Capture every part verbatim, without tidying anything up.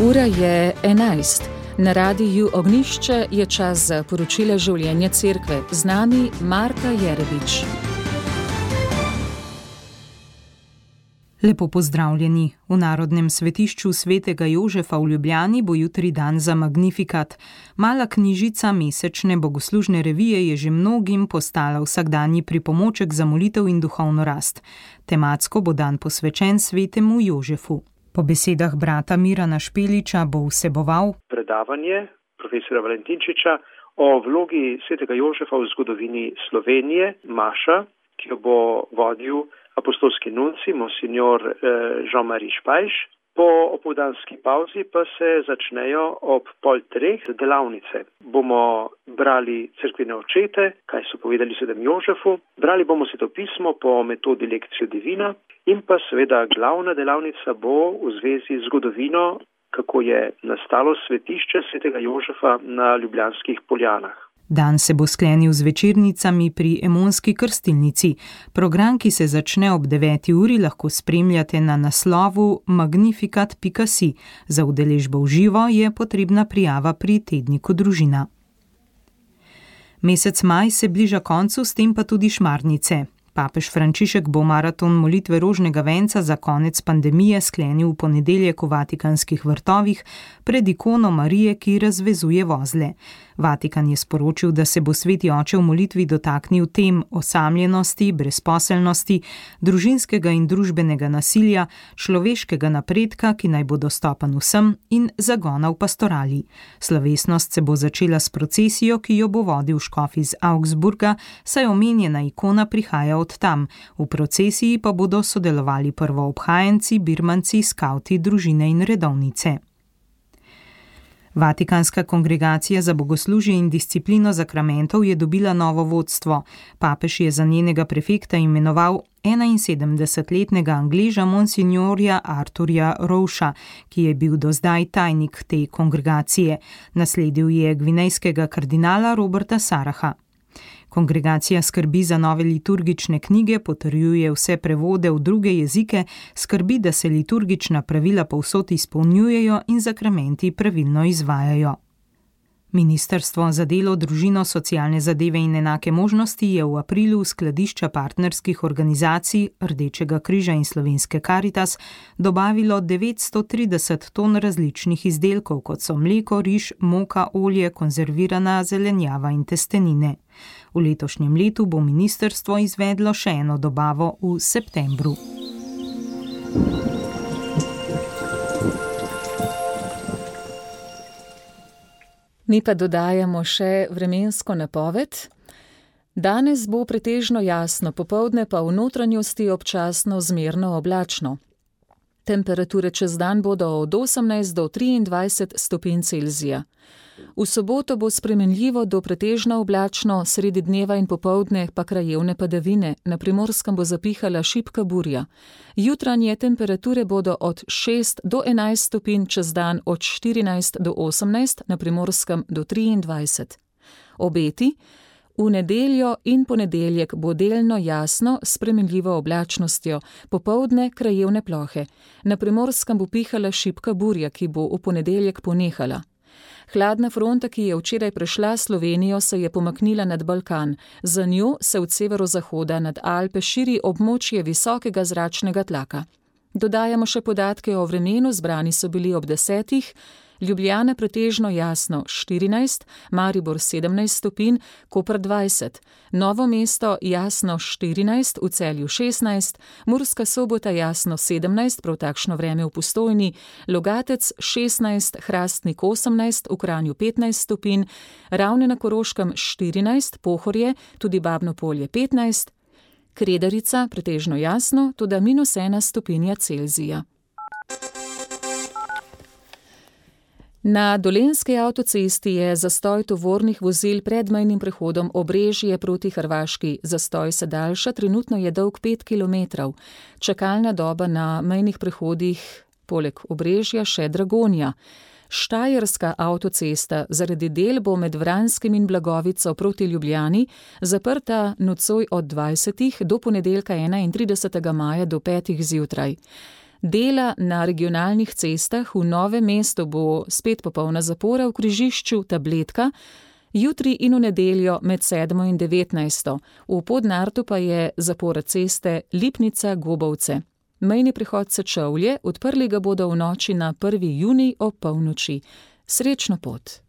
Ura je enajst. Na radiju Ognjišče je čas za poročila življenja cerkve. Z nami Marta Jerebič. Lepo pozdravljeni. V Narodnem svetišču svetega Jožefa v Ljubljani bo jutri dan za Magnifikat. Mala knjižica mesečne bogoslužne revije je že mnogim postala vsakdanji pripomoček za molitev in duhovno rast. Tematsko bo dan posvečen svetemu Jožefu. Po besedah brata Mirana Špeliča bo vseboval predavanje profesora Valentinčiča o vlogi svetega Jožefa v zgodovini Slovenije, Maša, ki jo bo vodil apostolski nunci, monsignor eh, Jean-Marie Špajš. Po opoldanski pavzi pa se začnejo ob pol treh delavnice. Bomo brali cerkvene očete, kaj so povedali svetemu Jožefu, brali bomo svetopismo po metodi Lectio Divina in pa seveda glavna delavnica bo v zvezi z zgodovino, kako je nastalo svetišče svetega Jožefa na Ljubljanskih Poljanah. Dan se bo sklenil z večernicami pri Emonski krstilnici. Program, ki se začne ob deveti uri, lahko spremljate na naslovu magnificat pika si. Za udeležbo v živo je potrebna prijava pri tedniku Družina. Mesec maj se bliža koncu, s tem pa tudi šmarnice. Papež Frančišek bo maraton molitve rožnega venca za konec pandemije sklenil v ponedeljek v Vatikanskih vrtovih pred ikono Marije, ki razvezuje vozle. Vatikan je sporočil, da se bo sveti oče v molitvi dotaknil tem osamljenosti, brezposelnosti, družinskega in družbenega nasilja, človeškega napredka, ki naj bo dostopen vsem, in zagona v pastorali. Slovesnost se bo začela s procesijo, ki jo bo vodil škof iz Augsburga, saj omenjena ikona prihaja od tam. V procesiji pa bodo sodelovali prvoobhajenci, birmanci, skavti, družine in redovnice. Vatikanska kongregacija za bogoslužje in disciplino zakramentov je dobila novo vodstvo. Papež je za njenega prefekta imenoval enainsedemdesetletnega Angleža monsignorja Arturja Rouša, ki je bil do zdaj tajnik te kongregacije. Nasledil je gvinejskega kardinala Roberta Saraha. Kongregacija skrbi za nove liturgične knjige, potrjuje vse prevode v druge jezike, skrbi, da se liturgična pravila povsod izpolnjujejo in zakramenti pravilno izvajajo. Ministrstvo za delo, družino, socialne zadeve in enake možnosti je v aprilu v skladišča partnerskih organizacij Rdečega križa in Slovenske Karitas dobavilo devetsto trideset ton različnih izdelkov, kot so mleko, riž, moka, olje, konzervirana zelenjava in testenine. V letošnjem letu bo ministrstvo izvedlo še eno dobavo v septembru. Mi pa dodajamo še vremensko napoved. Danes bo pretežno jasno, popoldne pa v notranjosti občasno zmerno oblačno. Temperature čez dan bodo od osemnajst do triindvajset stopinj Celzija. V soboto bo spremenljivo do pretežno oblačno, sredi dneva in popoldne pa krajevne padavine, na Primorskem bo zapihala šibka burja. Jutranje temperature bodo od šest do enajst stopinj, čez dan od štirinajst do osemnajst, na Primorskem do triindvajset. Obeti: v nedeljo in ponedeljek bo delno jasno s spremenljivo oblačnostjo, popoldne krajevne plohe. Na Primorskem bo pihala šibka burja, ki bo v ponedeljek ponehala. Hladna fronta, ki je včeraj prešla Slovenijo, se je pomaknila nad Balkan. Za njo se od severozahoda nad Alpe širi območje visokega zračnega tlaka. Dodajamo še podatke o vremenu, zbrani so bili ob desetih. Ljubljana pretežno jasno štirinajst, Maribor sedemnajst stopinj, Koper dvajset, Novo mesto jasno štirinajst, v Celju šestnajst, Murska Sobota jasno sedemnajst, prav takšno vreme v Postojni, Logatec šestnajst, Hrastnik osemnajst, v Kranju petnajst stopinj, Ravne na Koroškem štirinajst, Pohorje, tudi Babno Polje petnajst, Kredarica pretežno jasno, toda minus ena stopinja Celzija. Na Dolenjski avtocesti je zastoj tovornih vozil pred mejnim prehodom Obrežje proti Hrvaški. Zastoj se daljša, trenutno je dolg pet kilometrov. Čakalna doba na mejnih prehodih poleg Obrežja še Dragonja. Štajerska avtocesta zaradi del bo med Vranskim in Blagovico proti Ljubljani zaprta nocoj od dvajsetih do ponedeljka enaintridesetega maja do petih zjutraj. Dela na regionalnih cestah v Novem mestu bo spet popolna zapora v križišču Tabletka, jutri in v nedeljo med sedmo in devetnajsto. V Podnartu pa je zapora ceste Lipnica-Gobovce. Mejni prehod Sečovlje, odprli ga bodo v noči na prvi junij ob polnoči. Srečno pot.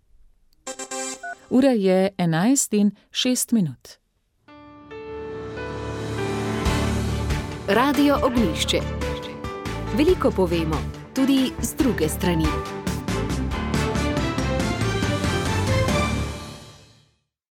Ura je enajst in šest minut. Radio Ognjišče. Veliko povemo, tudi z druge strani.